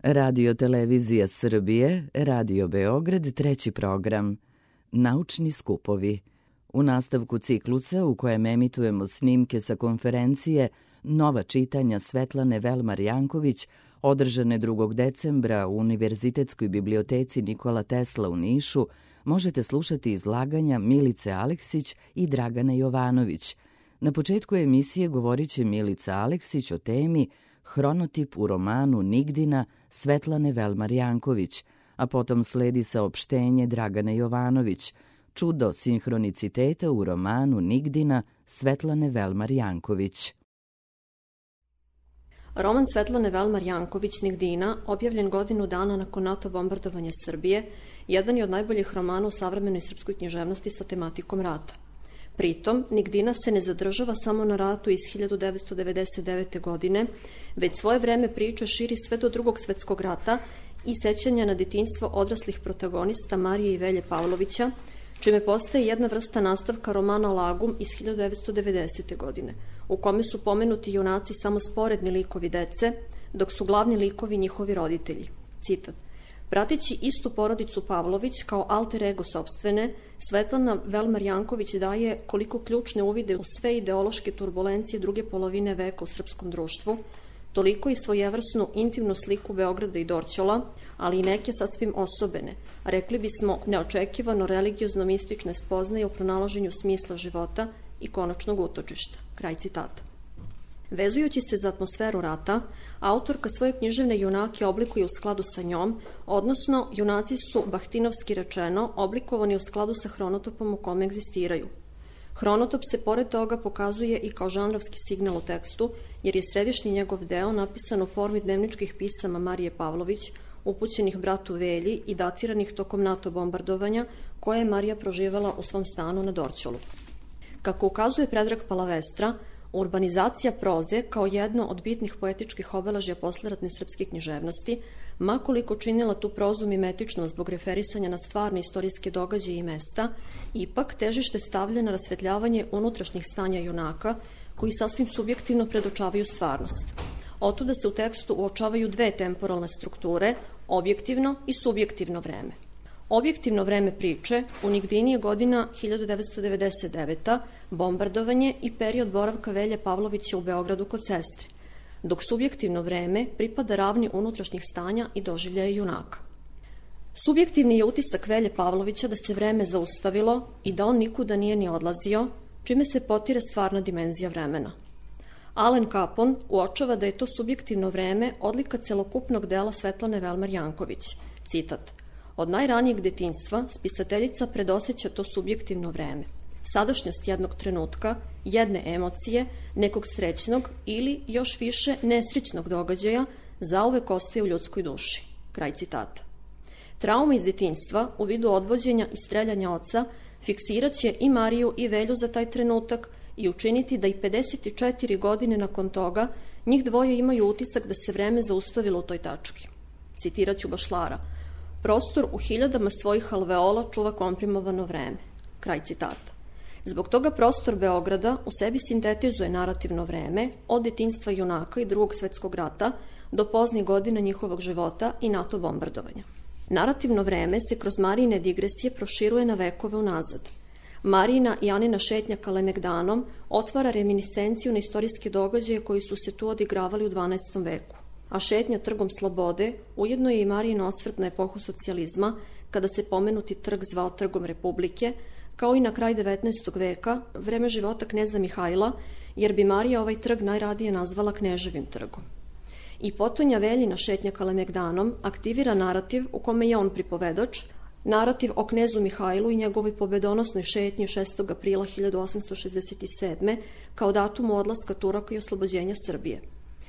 Radio Televizija Srbije, Radio Beograd, treći program. Naučni skupovi. U nastavku ciklusa u kojem emitujemo snimke sa konferencije Nova čitanja Svetlane Velmar Janković, održane 2. decembra u Univerzitetskoj biblioteci Nikola Tesla u Nišu, možete slušati izlaganja Milice Aleksić i Dragane Jovanović. Na početku emisije govorit će Milica Aleksić o temi Hronotip u romanu Nigdina Svetlane Velmar Janković, a potom sledi saopštenje Dragane Jovanović, Čudo sinhroniciteta u romanu Nigdina Svetlane Velmar Janković. Roman Svetlane Velmar Janković Nigdina, objavljen godinu dana nakon NATO bombardovanja Srbije, jedan je od najboljih romana u savremenoj srpskoj književnosti sa tematikom rata. Pritom, Nigdina se ne zadržava samo na ratu iz 1999. godine, već svoje vreme priče širi sve do Drugog svetskog rata i sećanja na detinjstvo odraslih protagonista Marije i Velje Pavlovića, čime postaje jedna vrsta nastavka romana Lagum iz 1990. godine, u kome su pomenuti junaci samo sporedni likovi dece, dok su glavni likovi njihovi roditelji. Citat. Prateći istu porodicu Pavlović kao alter ego sopstvene, Svetlana Velmar Janković daje koliko ključne uvide u sve ideološke turbulencije druge polovine veka u srpskom društvu, toliko i svojevrsnu intimnu sliku Beograda i Dorćola, ali i neke sasvim osobene, rekli bismo neočekivano religiozno-mistične spoznaje u pronalaženju smisla života i konačnog utočišta. Kraj citata. Vezujući se za atmosferu rata, autorka svoje književne junake oblikuje u skladu sa njom, odnosno junaci su, bahtinovski rečeno, oblikovani u skladu sa hronotopom u kome egzistiraju. Hronotop se pored toga pokazuje i kao žanrovski signal u tekstu, jer je središnji njegov deo napisan u formi dnevničkih pisama Marije Pavlović, upućenih bratu Velji i datiranih tokom NATO bombardovanja, koje je Marija proživala u svom stanu na Dorćolu. Kako ukazuje Predrag Palavestra, urbanizacija proze kao jedno od bitnih poetičkih obeležja posleratne srpske književnosti, makoliko činila tu prozu mimetičnom zbog referisanja na stvarne istorijske događaje i mesta, ipak težište stavlja na rasvetljavanje unutrašnjih stanja junaka, koji sasvim subjektivno predočavaju stvarnost. Otuda se u tekstu uočavaju dve temporalne strukture, objektivno i subjektivno vreme. Objektivno vreme priče u Nigdini je godina 1999. bombardovanje i period boravka Velje Pavlovića u Beogradu kod sestre, dok subjektivno vreme pripada ravni unutrašnjih stanja i doživljaja junaka. Subjektivni je utisak Velje Pavlovića da se vreme zaustavilo i da on nikuda nije ni odlazio, čime se potire stvarna dimenzija vremena. Alen Capon uočava da je to subjektivno vreme odlika celokupnog dela Svetlane Velmar Janković. Citat. Od najranijeg detinjstva spisateljica predoseća to subjektivno vreme. Sadašnjost jednog trenutka, jedne emocije, nekog srećnog ili još više nesrećnog događaja zauvek ostaje u ljudskoj duši. Kraj citata. Trauma iz detinjstva u vidu odvođenja i streljanja oca fiksiraće i Mariju i Velju za taj trenutak i učiniti da i 54 godine nakon toga njih dvoje imaju utisak da se vreme zaustavilo u toj tački. Citiraću Bašlara. Prostor u hiljadama svojih alveola čuva komprimovano vreme. Kraj citata. Zbog toga prostor Beograda u sebi sintetizuje narativno vreme od detinjstva junaka i Drugog svetskog rata do poznih godina njihovog života i NATO bombardovanja. Narativno vreme se kroz Marijine digresije proširuje na vekove unazad. Marijina i Anina šetnja Kalemegdanom otvara reminiscenciju na istorijske događaje koji su se tu odigravali u 12. veku. A šetnja Trgom Slobode ujedno je i Marijin osvrt na epohu socijalizma, kada se pomenuti trg zvao Trgom Republike, kao i na kraj 19. veka, vreme života kneza Mihajla, jer bi Marija ovaj trg najradije nazvala Kneževim trgom. I potonja Veljina šetnja Kalemegdanom aktivira narativ u kome je on pripovedač, narativ o knezu Mihajlu i njegovoj pobedonosnoj šetnji 6. aprila 1867. kao datumu odlaska Turaka i oslobođenja Srbije.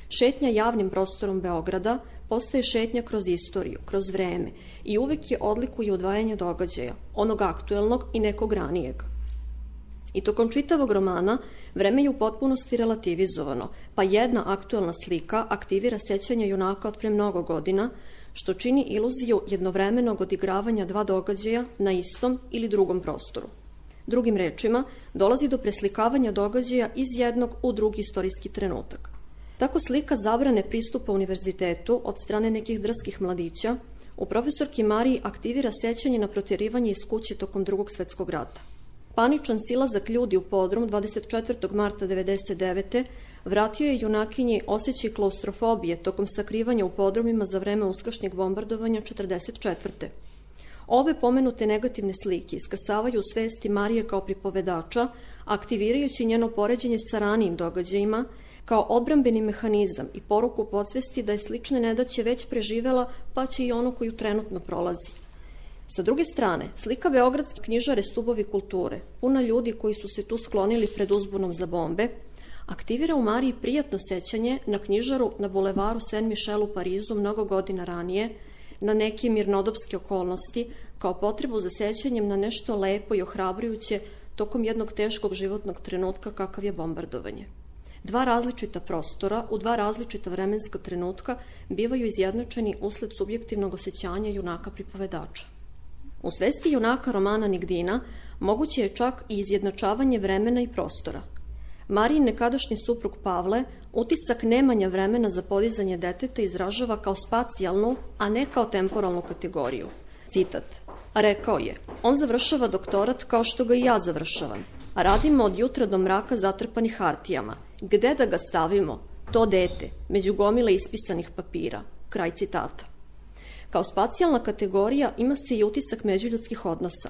Šetnja javnim prostorom Beograda postaje šetnja kroz istoriju, kroz vreme i uvek je odlikuje odvajanje događaja, onog aktuelnog i nekog ranijeg. I tokom čitavog romana vreme je u potpunosti relativizovano, pa jedna aktuelna slika aktivira sećanja junaka od pre mnogo godina, što čini iluziju jednovremenog odigravanja dva događaja na istom ili drugom prostoru. Drugim rečima, dolazi do preslikavanja događaja iz jednog u drugi istorijski trenutak. Tako slika zabrane pristupa univerzitetu od strane nekih drskih mladića u profesorki Mariji aktivira sećanje na protjerivanje iz kuće tokom Drugog svetskog rata. Paničan silazak ljudi u podrum 24. marta 1999. vratio je junakinji osjećaj klaustrofobije tokom sakrivanja u podrumima za vreme uskršnjeg bombardovanja 1944. Obe pomenute negativne slike iskrsavaju u svesti Marije kao pripovedača, aktivirajući njeno poređenje sa ranijim događajima, kao odbrambeni mehanizam i poruku podsvesti da je slične nedaće već preživela, pa će i onu koju trenutno prolazi. Sa druge strane, slika beogradske knjižare Stubovi kulture, puna ljudi koji su se tu sklonili pred uzbunom za bombe, aktivira u Mariji prijatno sećanje na knjižaru na bulevaru Saint-Michel u Parizu mnogo godina ranije, na neke mirnodopske okolnosti, kao potrebu za sećanjem na nešto lepo i ohrabrujuće tokom jednog teškog životnog trenutka kakav je bombardovanje. Dva različita prostora u dva različita vremenska trenutka bivaju izjednačeni usled subjektivnog osjećanja junaka pripovedača. U svesti junaka romana Nigdina moguće je čak i izjednačavanje vremena i prostora. Marijin nekadašnji suprug Pavle utisak nemanja vremena za podizanje deteta izražava kao spacijalnu, a ne kao temporalnu kategoriju. Citat. Rekao je, on završava doktorat kao što ga i ja završavam, a radimo od jutra do mraka zatrpani hartijama. Gde da ga stavimo? To dete, među gomile ispisanih papira. Kraj citata. Kao spacijalna kategorija ima se i utisak međuljudskih odnosa.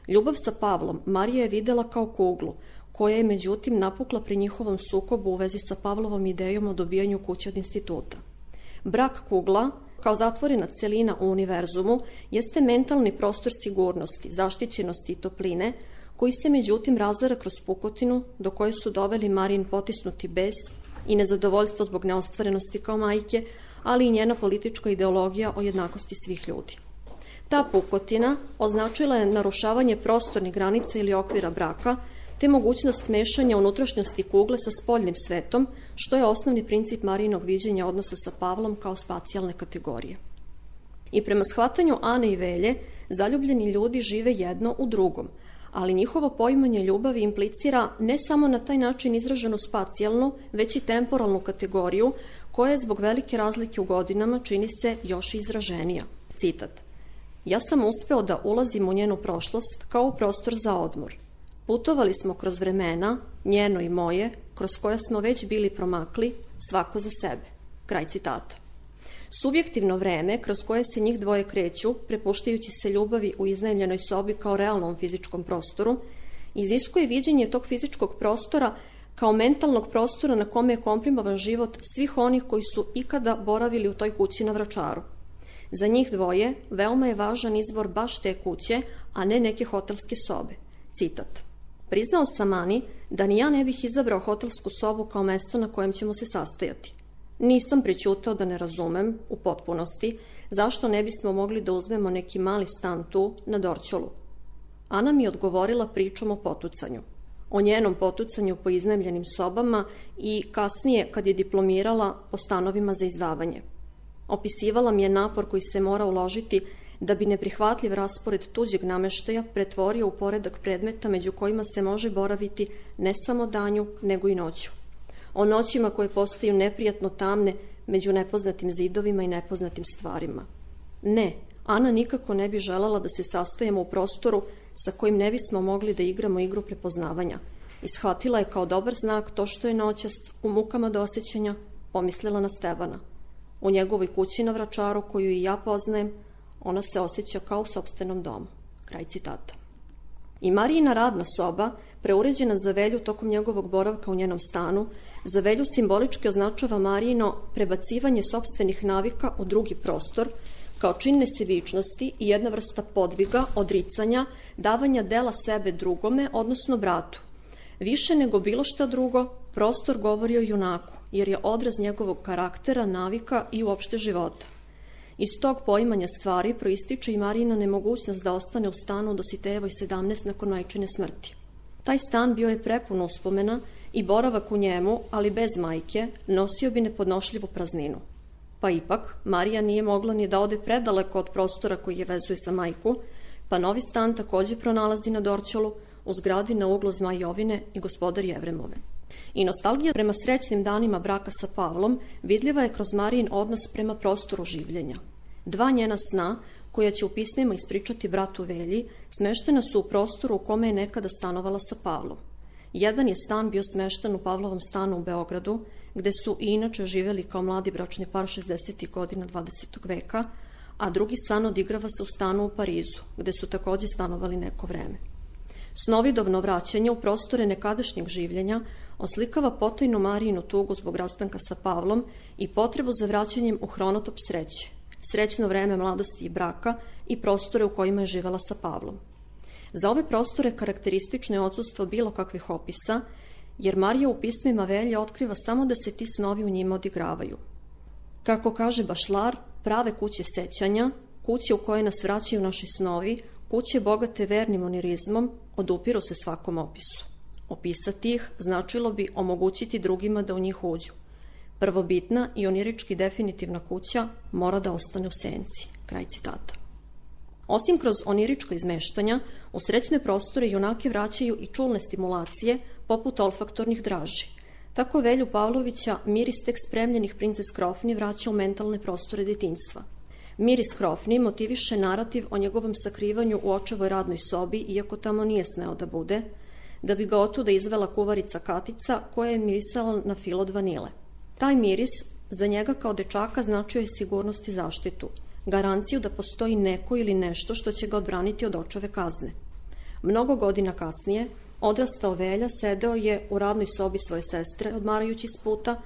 Ljubav sa Pavlom Marija je videla kao kuglu, koja je međutim napukla pri njihovom sukobu u vezi sa Pavlovom idejom o dobijanju kuće od instituta. Brak kugla, kao zatvorena celina u univerzumu, jeste mentalni prostor sigurnosti, zaštićenosti i topline, koji se međutim razara kroz pukotinu do koje su doveli Marijin potisnuti bes i nezadovoljstvo zbog neostvarenosti kao majke, ali i njena politička ideologija o jednakosti svih ljudi. Ta pukotina označila je narušavanje prostornih granica ili okvira braka, te mogućnost mešanja unutrašnjosti kugle sa spoljnim svetom, što je osnovni princip Marijinog viđenja odnosa sa Pavlom kao spacijalne kategorije. I prema shvatanju Ane i Velje, zaljubljeni ljudi žive jedno u drugom, ali njihovo poimanje ljubavi implicira ne samo na taj način izraženu spacijalnu, već i temporalnu kategoriju, koja je zbog velike razlike u godinama čini se još izraženija. Citat. Ja sam uspeo da ulazim u njenu prošlost kao u prostor za odmor. Putovali smo kroz vremena, njeno i moje, kroz koja smo već bili promakli, svako za sebe. Kraj citata. Subjektivno vreme kroz koje se njih dvoje kreću, prepuštajući se ljubavi u iznajmljenoj sobi kao realnom fizičkom prostoru, iziskuje viđenje tog fizičkog prostora kao mentalnog prostora na kome je komprimovan život svih onih koji su ikada boravili u toj kući na Vračaru. Za njih dvoje veoma je važan izbor baš te kuće, a ne neke hotelske sobe. Citat. Priznao sam Ani da ni ja ne bih izabrao hotelsku sobu kao mesto na kojem ćemo se sastajati. Nisam prećutao da ne razumem, u potpunosti, zašto ne bismo mogli da uzmemo neki mali stan tu, na Dorćolu. Ana mi je odgovorila pričom o potucanju. O njenom potucanju po iznajmljenim sobama i kasnije, kad je diplomirala, po stanovima za izdavanje. Opisivala mi je napor koji se mora uložiti da bi neprihvatljiv raspored tuđeg nameštaja pretvorio u poredak predmeta među kojima se može boraviti ne samo danju, nego i noću. O noćima koje postaju neprijatno tamne među nepoznatim zidovima i nepoznatim stvarima. Ne, Ana nikako ne bi želala da se sastajemo u prostoru sa kojim ne bismo mogli da igramo igru prepoznavanja. Ishvatila je kao dobar znak to što je noćas, u mukama dosećanja, pomislila na Stevana. U njegovoj kući na Vračaru, koju i ja poznajem, ona se osjeća kao u sopstvenom domu. Kraj citata. I Marijina radna soba, preuređena za Velju tokom njegovog boravka u njenom stanu, za Velju simbolički označava Marijino prebacivanje sopstvenih navika u drugi prostor, kao čin nesebičnosti i jedna vrsta podviga, odricanja, davanja dela sebe drugome, odnosno bratu. Više nego bilo šta drugo, prostor govori o junaku, jer je odraz njegovog karaktera, navika i uopšte života. Iz tog poimanja stvari proističe i Marijina nemogućnost da ostane u stanu do Sitejevoj 17 nakon majčine smrti. Taj stan bio je prepun uspomena i boravak u njemu, ali bez majke, nosio bi nepodnošljivu prazninu. Pa ipak, Marija nije mogla ni da ode predaleko od prostora koji je vezuje sa majku, pa novi stan takođe pronalazi na Dorćolu, u zgradi na uglu Zmaj Jovine i Gospodar Jevremove. I nostalgija prema srećnim danima braka sa Pavlom vidljiva je kroz Marijin odnos prema prostoru življenja. Dva njena sna, koja će u pismima ispričati bratu Velji, smeštena su u prostoru u kome je nekada stanovala sa Pavlom. Jedan je stan bio smešten u Pavlovom stanu u Beogradu, gde su i inače živeli kao mladi bračni par 60. godina 20. veka, a drugi san odigrava se u stanu u Parizu, gde su takođe stanovali neko vreme. Snovidovno vraćanje u prostore nekadašnjeg življenja oslikava potajnu Marijinu tugu zbog rastanka sa Pavlom i potrebu za vraćanjem u hronotop sreće, srećno vreme mladosti i braka i prostore u kojima je živela sa Pavlom. Za ove prostore karakteristično je odsustvo bilo kakvih opisa, jer Marija u pismima Velje otkriva samo da se ti snovi u njima odigravaju. Kako kaže Bašlar, prave kuće sećanja, kuće u koje nas vraćaju naši snovi, kuće bogate vernim onirizmom, odupiru se svakom opisu. Opisati ih značilo bi omogućiti drugima da u njih uđu. Prvobitna i onirički definitivna kuća mora da ostane u senci. Kraj citata. Osim kroz onirička izmeštanja, u srećne prostore junake vraćaju i čulne stimulacije, poput olfaktornih draži. Tako Velju Pavlovića miris tek spremljenih princes krofni vraća u mentalne prostore detinjstva. Miris krofni motiviše narativ o njegovom sakrivanju u očevoj radnoj sobi, iako tamo nije smeo da bude, da bi ga otuda izvela kuvarica Katica, koja je mirisala na fil od vanile. Taj miris za njega kao dečaka značio je sigurnost i zaštitu, garanciju da postoji neko ili nešto što će ga odbraniti od očeve kazne. Mnogo godina kasnije, odrastao Velja sedeo je u radnoj sobi svoje sestre, odmarajući s puta,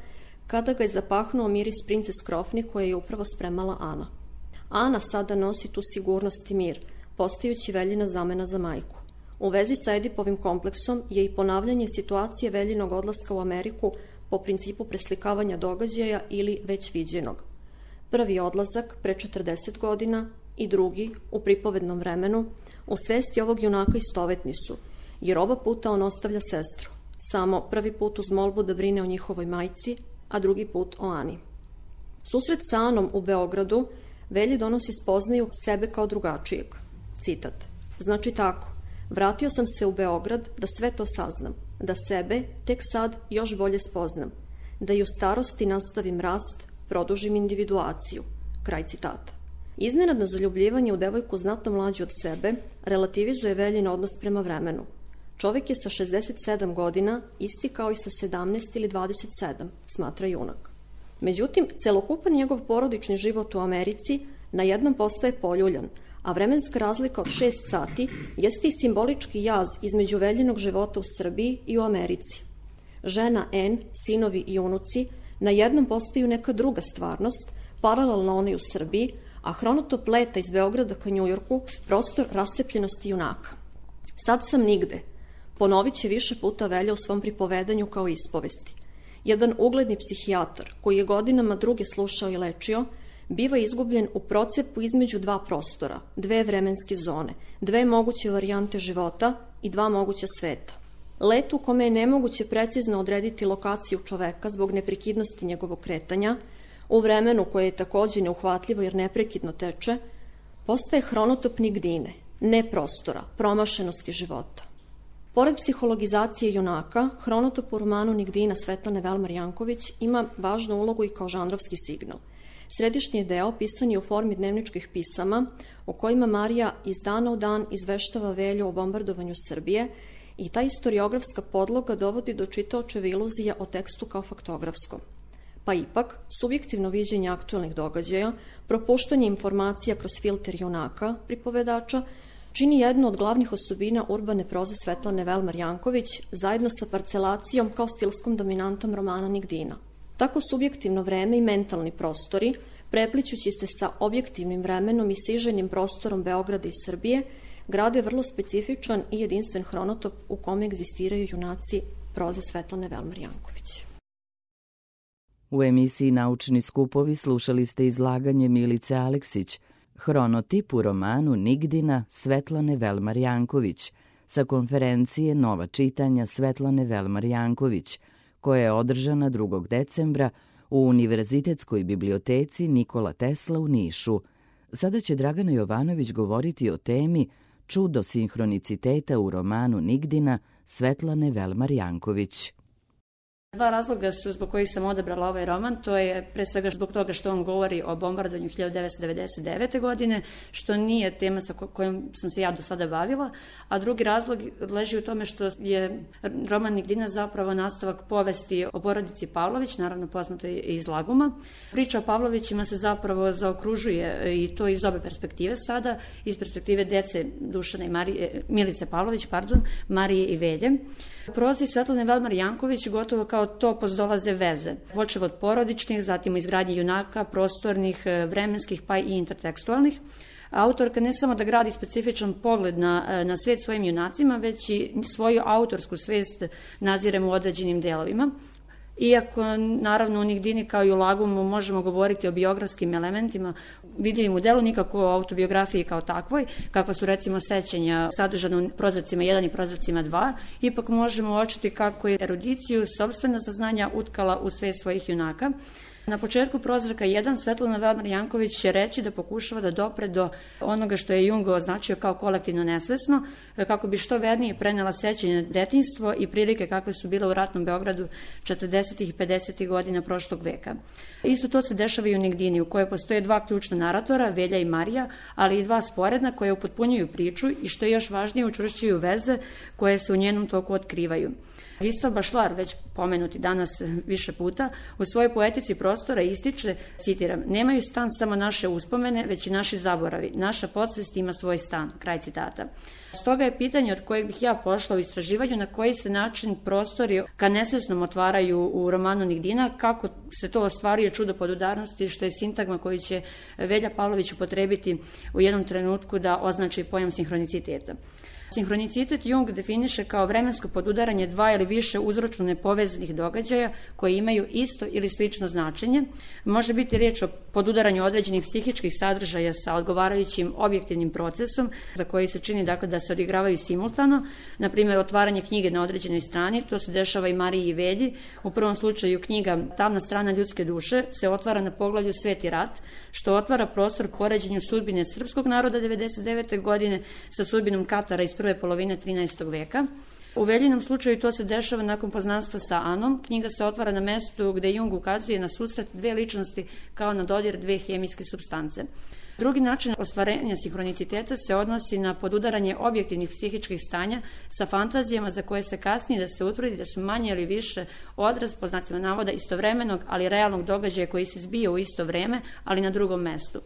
kada ga je zapahnuo miris princes krofni koje je upravo spremala Ana. Ana sada nosi tu sigurnost i mir, postajući Veljina zamena za majku. U vezi sa Edipovim kompleksom je i ponavljanje situacije Veljinog odlaska u Ameriku po principu preslikavanja događaja ili već viđenog. Prvi odlazak pre 40 godina i drugi u pripovednom vremenu u svesti ovog junaka istovetni su, jer oba puta on ostavlja sestru, samo prvi put uz molbu da brine o njihovoj majci, a drugi put o Ani. Susret sa Anom u Beogradu Velji donosi spoznaju sebe kao drugačijeg. Citat. Znači tako, vratio sam se u Beograd da sve to saznam, da sebe tek sad još bolje spoznam, da i u starosti nastavim rast, produžim individuaciju. Kraj citata. Iznenadno zaljubljivanje u devojku znatno mlađu od sebe relativizuje Veljin odnos prema vremenu. Čovjek je sa 67 godina isti kao i sa 17 ili 27, smatra junak. Međutim, celokupan njegov porodični život u Americi na jednom postaje poljuljan, a vremenska razlika od 6 sati jeste i simbolički jaz između Veljinog života u Srbiji i u Americi. Žena N, sinovi i unuci na jednom postaju neka druga stvarnost, paralelna onoj u Srbiji, a hronotop leta iz Beograda ka Njujorku prostor rascepljenosti junaka. Sad sam nigde, ponovit će više puta Velja u svom pripovedanju kao ispovesti. Jedan ugledni psihijatar, koji je godinama druge slušao i lečio, biva izgubljen u procepu između dva prostora, dve vremenske zone, dve moguće varijante života i dva moguća sveta. Let u kome je nemoguće precizno odrediti lokaciju čoveka zbog neprekidnosti njegovog kretanja, u vremenu koje je takođe neuhvatljivo jer neprekidno teče, postaje hronotop nigdine, ne prostora, promašenosti života. Pored psihologizacije junaka, hronotop u romanu Nigdina Svetlane Velmar Janković ima važnu ulogu i kao žanrovski signal. Središnji deo pisan je u formi dnevničkih pisama u kojima Marija iz dana u dan izveštava Velju o bombardovanju Srbije i ta istoriografska podloga dovodi do čitaočeve iluzije o tekstu kao faktografskom. Pa ipak, subjektivno viđenje aktualnih događaja, propuštanje informacija kroz filter junaka, pripovedača, čini jednu od glavnih osobina urbane proze Svetlane Velmar Janković zajedno sa parcelacijom kao stilskom dominantom romana Nigdina. Tako subjektivno vreme i mentalni prostori, preplićući se sa objektivnim vremenom i siženim prostorom Beograda i Srbije, grade vrlo specifičan i jedinstven hronotop u kome egzistiraju junaci proze Svetlane Velmar Janković. U emisiji Naučni skupovi slušali ste izlaganje Milice Aleksić, hronotip u romanu Nigdina Svetlane Velmar Janković, sa konferencije Nova čitanja Svetlane Velmar Janković, koja je održana 2. decembra u Univerzitetskoj biblioteci Nikola Tesla u Nišu. Sada će Dragana Jovanović govoriti o temi Čudo sinhroniciteta u romanu Nigdina Svetlane Velmar Janković. Dva razloga su zbog kojih sam odabrala ovaj roman. To je pre svega zbog toga što on govori o bombardovanju 1999. godine, što nije tema sa kojom sam se ja do sada bavila, a drugi razlog leži u tome što je roman Nigdina zapravo nastavak povesti o porodici Pavlović, naravno poznato je iz Laguma. Priča o Pavlovićima se zapravo zaokružuje i to iz obe perspektive sada, iz perspektive dece Dušana i Milice Pavlović, Marije i Velje. Prozi Svetlane Velmar Janković gotovo kao topos dolaze veze, počev od porodičnih, zatim izgradnje junaka, prostornih, vremenskih pa i intertekstualnih. Autorka ne samo da gradi specifičan pogled na svet svojim junacima, već i svoju autorsku svest naziremo u određenim delovima. Iako, naravno, u Nigdini kao i u Lagumu možemo govoriti o biografskim elementima, vidljivim u delu, nikako o autobiografiji kao takvoj, kakva su recimo sećanja sadržana u prozracima 1 i prozracima 2, ipak možemo uočiti kako je erudiciju, sopstvena saznanja utkala u svest svojih junaka. Na početku prozraka 1 Svetlana Velmar Janković će reći da pokušava da dopre do onoga što je Jung označio kao kolektivno nesvesno, kako bi što vernije prenela sećanje na detinjstvo i prilike kakve su bile u ratnom Beogradu 40. i 50. godina prošlog veka. Isto to se dešava i u Nigdini, u kojoj postoje dva ključna naratora, Velja i Marija, ali i dva sporedna koje upotpunjuju priču i što je još važnije učvršćuju veze koje se u njenom toku otkrivaju. Gistav Bašlar, već pomenuti danas više puta, u svojoj poetici prostora ističe, citiram, nemaju stan samo naše uspomene, već i naši zaboravi. Naša podsvest ima svoj stan. Kraj citata. Stoga je pitanje od kojeg bih ja pošla u istraživanju na koji se način prostori ka nesvesnom otvaraju u romanu Nigdina, kako se to ostvaruje čudo podudarnosti, što je sintagma koju će Velja Pavlović upotrebiti u jednom trenutku da označi pojam sinhroniciteta. Sinhronicitet Jung definiše kao vremensko podudaranje dva ili više uzročno nepovezanih događaja koji imaju isto ili slično značenje. Može biti riječ o podudaranju određenih psihičkih sadržaja sa odgovarajućim objektivnim procesom za koji se čini dakle, da se odigravaju simultano. Na primjer, otvaranje knjige na određenoj strani, to se dešava i Mariji i Velji. U prvom slučaju knjiga Tamna strana ljudske duše se otvara na poglavlju Sveti rat, što otvara prostor poređenju sudbine srpskog naroda 99. godine sa sudbinom Katara iz prve polovine 13. veka. U Veljinom slučaju to se dešava nakon poznanstva sa Anom. Knjiga se otvara na mestu gde Jung ukazuje na susret dve ličnosti kao na dodir dve hemijske supstance. Drugi način ostvarenja sinhroniciteta se odnosi na podudaranje objektivnih psihičkih stanja sa fantazijama za koje se kasnije da se utvrdi da su manje ili više odraz, po znacima navoda, istovremenog, ali realnog događaja koji se zbija u isto vreme, ali na drugom mestu.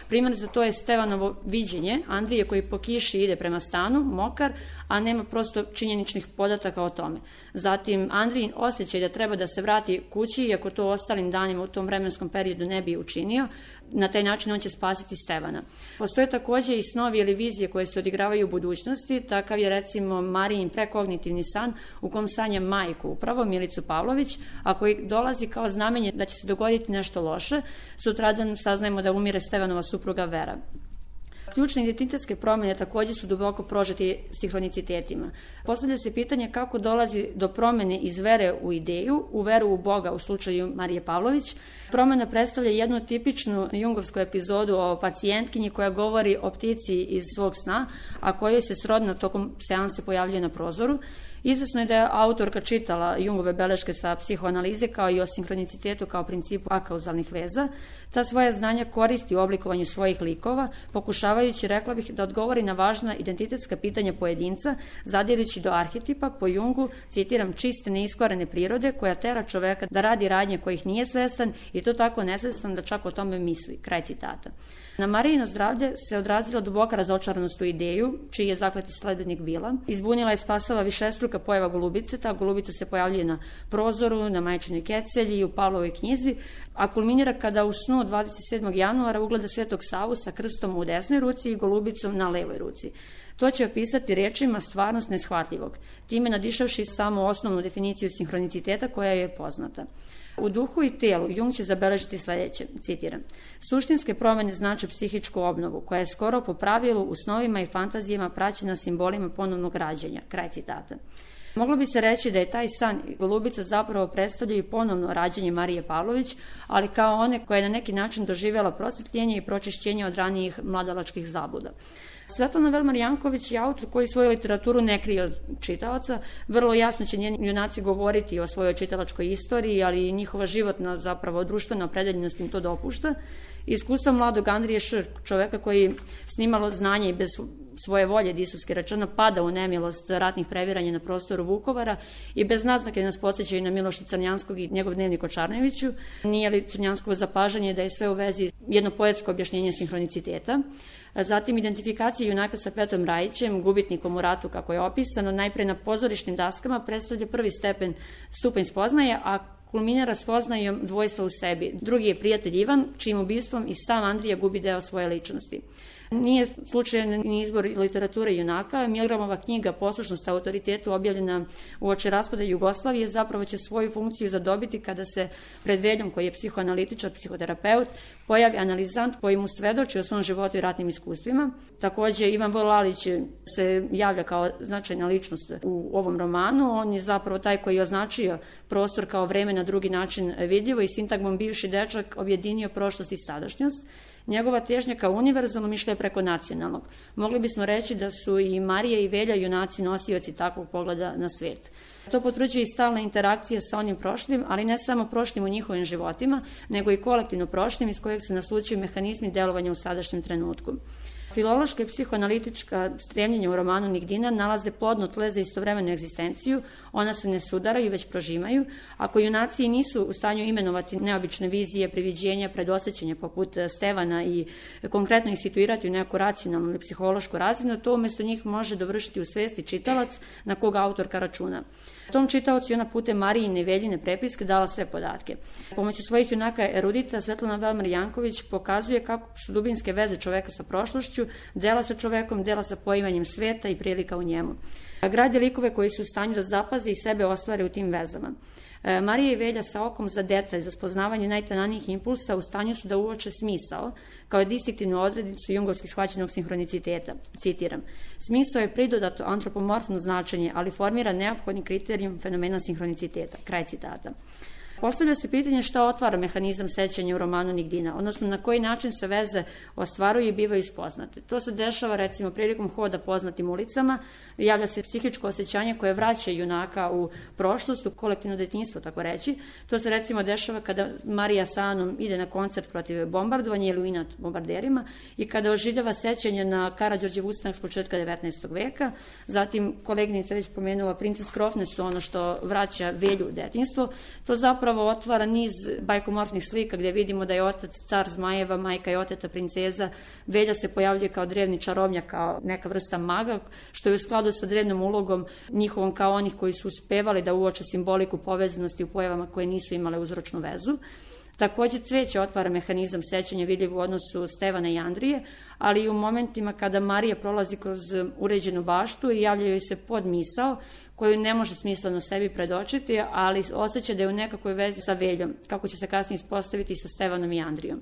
Primjer za to je Stevanovo viđenje Andrije koji po kiši ide prema stanu, mokar, a nema prosto činjeničnih podataka o tome. Zatim Andrijin osjećaj da treba da se vrati kući, iako to ostalim danima u tom vremenskom periodu ne bi učinio, na taj način on će spasiti Stevana. Postoje takođe i snovi ili vizije koje se odigravaju u budućnosti, takav je recimo Marijin prekognitivni san u kom sanja majku, upravo Milicu Pavlović, a koji dolazi kao znamenje da će se dogoditi nešto loše. Sutradan saznajemo da umire Stevanova supruga Vera. Ključne identitetske promjene takođe su duboko prožeti sinhronicitetima. Postavlja se pitanje kako dolazi do promjene iz vere u ideju, u veru u Boga u slučaju Marije Pavlović. Promjena predstavlja jednu tipičnu jungovsku epizodu o pacijentkinji koja govori o ptici iz svog sna, a kojoj se srodna tokom seanse pojavljuje na prozoru. Izvesno je da je autorka čitala Jungove beleške sa psihoanalize kao i o sinhronicitetu kao principu akauzalnih veza. Ta svoja znanja koristi u oblikovanju svojih likova, pokušavajući, rekla bih, da odgovori na važna identitetska pitanja pojedinca, zadirući do arhetipa, po Jungu, citiram, čiste neiskvarene prirode koja tera čoveka da radi radnje kojih nije svestan i to tako nesvestan da čak o tome misli. Kraj citata. Na Marijino zdravlje se odrazila duboka razočaranost u ideju, čiji je zakleti sledbenik bila. Izbunila je spasava višestruka pojava golubice, ta golubica se pojavljuje na prozoru, na majčinoj kecelji i u Pavlovoj knjizi, a kulminira kada u snu 27. januara ugleda Svetog Savu sa krstom u desnoj ruci i golubicom na levoj ruci. To će opisati rečima stvarnost neshvatljivog, time nadišavši samo osnovnu definiciju sinhroniciteta koja je poznata. U duhu i telu Jung će zabeležiti sledeće, citiram, suštinske promjene znače psihičku obnovu, koja je skoro po pravilu u snovima i fantazijama praćena simbolima ponovnog rađenja, kraj citata. Moglo bi se reći da je taj san Golubica zapravo predstavlja i ponovno rađenje Marije Pavlović, ali kao one koja je na neki način doživjela prosvetljenje i pročišćenje od ranijih mladalačkih zabluda. Svetlana Velmar Janković je autor koji svoju literaturu ne krije od čitaoca. Vrlo jasno će njeni junaci govoriti o svojoj čitalačkoj istoriji, ali i njihova životna, zapravo društvena opredeljenost im to dopušta. Iskustvo mladog Andrije Š., čoveka koji s nimalo znanja i bez svoje volje, disovski rečeno, pada u nemilost ratnih previranja na prostoru Vukovara i bez naznake nas podsjećaju na Miloša Crnjanskog i njegov dnevnik o Čarneviću. Nije li Crnjanskovo zapažanje da je sve u vezi jedno poetsko objašnjenje sinhroniciteta? Zatim identifikacija junaka sa Petrom Rajićem, gubitnikom u ratu kako je opisano, najpre na pozorišnim daskama predstavlja prvi stupanj spoznaje, a kulminira spoznajom dvojstva u sebi. Drugi je prijatelj Ivan, čijim ubistvom i sam Andrija gubi deo svoje ličnosti. Nije slučajan ni izbor literature junaka. Milgramova knjiga Poslušnost autoritetu, objavljena uoči raspada Jugoslavije, zapravo će svoju funkciju zadobiti kada se pred Veljom, koji je psihoanalitičar, psihoterapeut, pojavi analizant koji mu svedoči o svom životu i ratnim iskustvima. Takođe, Ivan V. Lalić se javlja kao značajna ličnost u ovom romanu. On je zapravo taj koji je označio prostor kao vreme na drugi način vidljivo i sintagmom bivši dečak objedinio prošlost i sadašnjost. Njegova težnja kao univerzalno išla je preko nacionalnog. Mogli bismo reći da su i Marija i Velja junaci nosioci takvog pogleda na svet. To potvrđuje i stalna interakcija sa onim prošlim, ali ne samo prošlim u njihovim životima, nego i kolektivno prošlim iz kojeg se naslučuju mehanizmi delovanja u sadašnjem trenutku. Filološka i psihoanalitička stremljenja u romanu Nigdina nalaze plodno tle za istovremenu egzistenciju, ona se ne sudaraju, već prožimaju. Ako junaci nisu u stanju imenovati neobične vizije, priviđenja, predosećenja poput Stevana i konkretno ih situirati u neku racionalnu ili psihološku razinu, to umesto njih može dovršiti u svesti čitalac na koga autorka računa. Tom čitaocu ona putem Marijine i Veljine prepiske dala sve podatke. Pomoću svojih junaka erudita Svetlana Velmar Janković pokazuje kako su dubinske veze čoveka sa prošlošću, dela sa čovekom, dela sa poimanjem sveta i prilika u njemu. Gradi likove koji su u stanju da zapaze i sebe ostvare u tim vezama. Marija i Velja sa okom za detalj, za spoznavanje najtananijih impulsa u stanju su da uoče smisao, kao distinktivnu odrednicu jungovski shvaćenog sinhroniciteta. Citiram: smisao je pridodato antropomorfno značenje, ali formira neophodni kriterijum fenomena sinhroniciteta. Kraj citata. Postavlja se pitanje šta otvara mehanizam sećanja u romanu Nigdina, odnosno na koji način se veze ostvaruju i bivaju spoznate. To se dešava recimo prilikom hoda poznatim ulicama, javlja se psihičko osjećanje koje vraća junaka u prošlost, u kolektivno detinjstvo, tako reći. To se recimo dešava kada Marija sa Anom ide na koncert protiv bombardovanja ili u inat bombarderima i kada oživljava sećanje na Karađorđev ustanak s početka 19. veka. Zatim, koleginica već pomenula, Princes Krofne su ono što vraća Velju u detinjstvo. To zapravo otvara niz bajkomorfnih slika gdje vidimo da je otac car zmajeva, majka je oteta princeza, Velja se pojavljuje kao drevni čarobnjak, kao neka vrsta maga, što je u skladu sa drevnom ulogom njihovom kao onih koji su uspevali da uoče simboliku povezanosti u pojavama koje nisu imale uzročnu vezu. Takođe, cveće otvara mehanizam sećanja vidljiv u odnosu Stevana i Andrije, ali i u momentima kada Marija prolazi kroz uređenu baštu i javlja joj se podmisao koju ne može smisleno sebi predočiti, ali osjeća da je u nekakvoj vezi sa Veljom, kako će se kasnije ispostaviti sa Stevanom i Andrijom.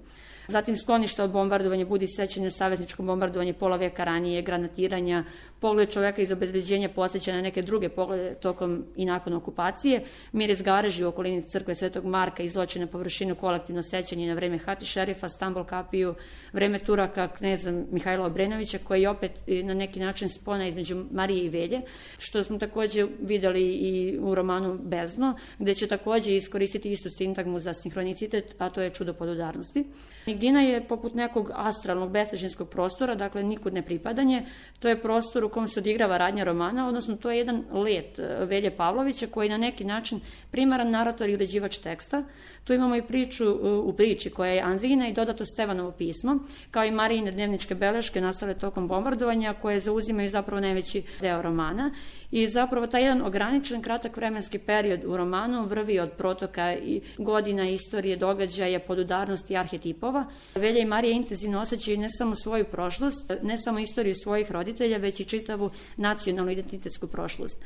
Zatim skloništa od bombardovanja budi sećanje savezničko bombardovanje pola veka ranije, granatiranja, pogled čoveka iz obezbeđenja podsjeća na neke druge poglede tokom i nakon okupacije, miris gareži u okolini crkve Svetog Marka izvlači na površinu kolektivno sećanje na vreme Hati šerifa, Stambol kapiju, vreme Turaka, kneza Mihajla Obrenovića, koji je opet na neki način spona između Marije i Velje, što smo takođe videli i u romanu Bezdno, gde će takođe iskoristiti istu sintagmu za sinhronicitet, a to je čudo podudarnosti. Nigdina je poput nekog astralnog bestežinskog prostora, dakle nikud ne pripadanje, to je prostor u kom se odigrava radnja romana, odnosno to je jedan let Velje Pavlovića koji na neki način primaran narator i uređivač teksta. Tu imamo i priču u priči koja je Andrijina i dodato Stevanovo pismo, kao i Marijine dnevničke beleške nastale tokom bombardovanja koje zauzimaju zapravo najveći deo romana. I zapravo taj jedan ograničen kratak vremenski period u romanu vrvi od protoka i godina, istorije, događaja, podudarnosti i arhetipova. Velja i Marija intenzivno osjećaju ne samo svoju prošlost, ne samo istoriju svojih roditelja, već i čitavu nacionalnu identitetsku prošlost.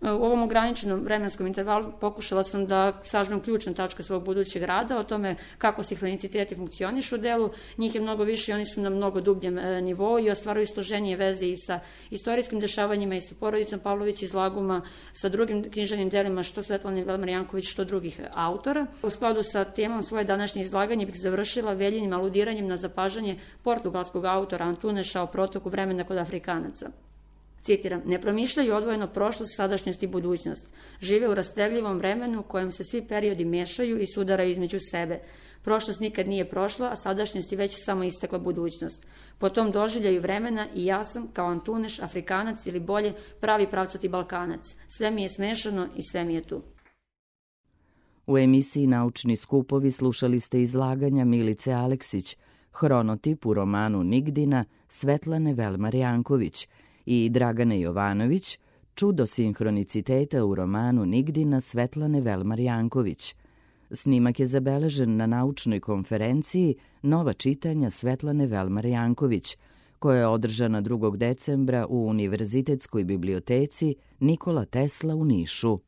U ovom ograničenom vremenskom intervalu pokušala sam da sažmem ključne tačke svog budućeg rada, o tome kako sinhroniciteti funkcionišu u delu. Njih je mnogo više i oni su na mnogo dubljem nivou i ostvaruju složenije veze i sa istorijskim dešavanjima i sa porodicom Pavlović iz Laguma, sa drugim književnim delima, što Svetlane Velmar Janković, što drugih autora. U skladu sa temom svoje današnje izlaganje bih završila veljenim aludiranjem na zapažanje portugalskog autora Antuneša o protoku vremena kod Afrikanaca. Citiram, ne promišljaju odvojeno prošlost, sadašnjost i budućnost. Žive u rastegljivom vremenu u kojem se svi periodi mešaju i sudaraju između sebe. Prošlost nikad nije prošla, a sadašnjost je već samo istekla budućnost. Po tom doživljaju vremena i ja sam, kao Antuneš, Afrikanac ili bolje, pravi pravcati Balkanac. Sve mi je smešano i sve mi je tu. U emisiji Naučni skupovi slušali ste izlaganja Milice Aleksić, hronotip u romanu Nigdina Svetlane Velmar Janković, i Dragane Jovanović, čudo sinhroniciteta u romanu Nigdina Svetlane Velmar Janković. Snimak je zabeležen na naučnoj konferenciji Nova čitanja Svetlane Velmar Janković, koja je održana 2. decembra u Univerzitetskoj biblioteci Nikola Tesla u Nišu.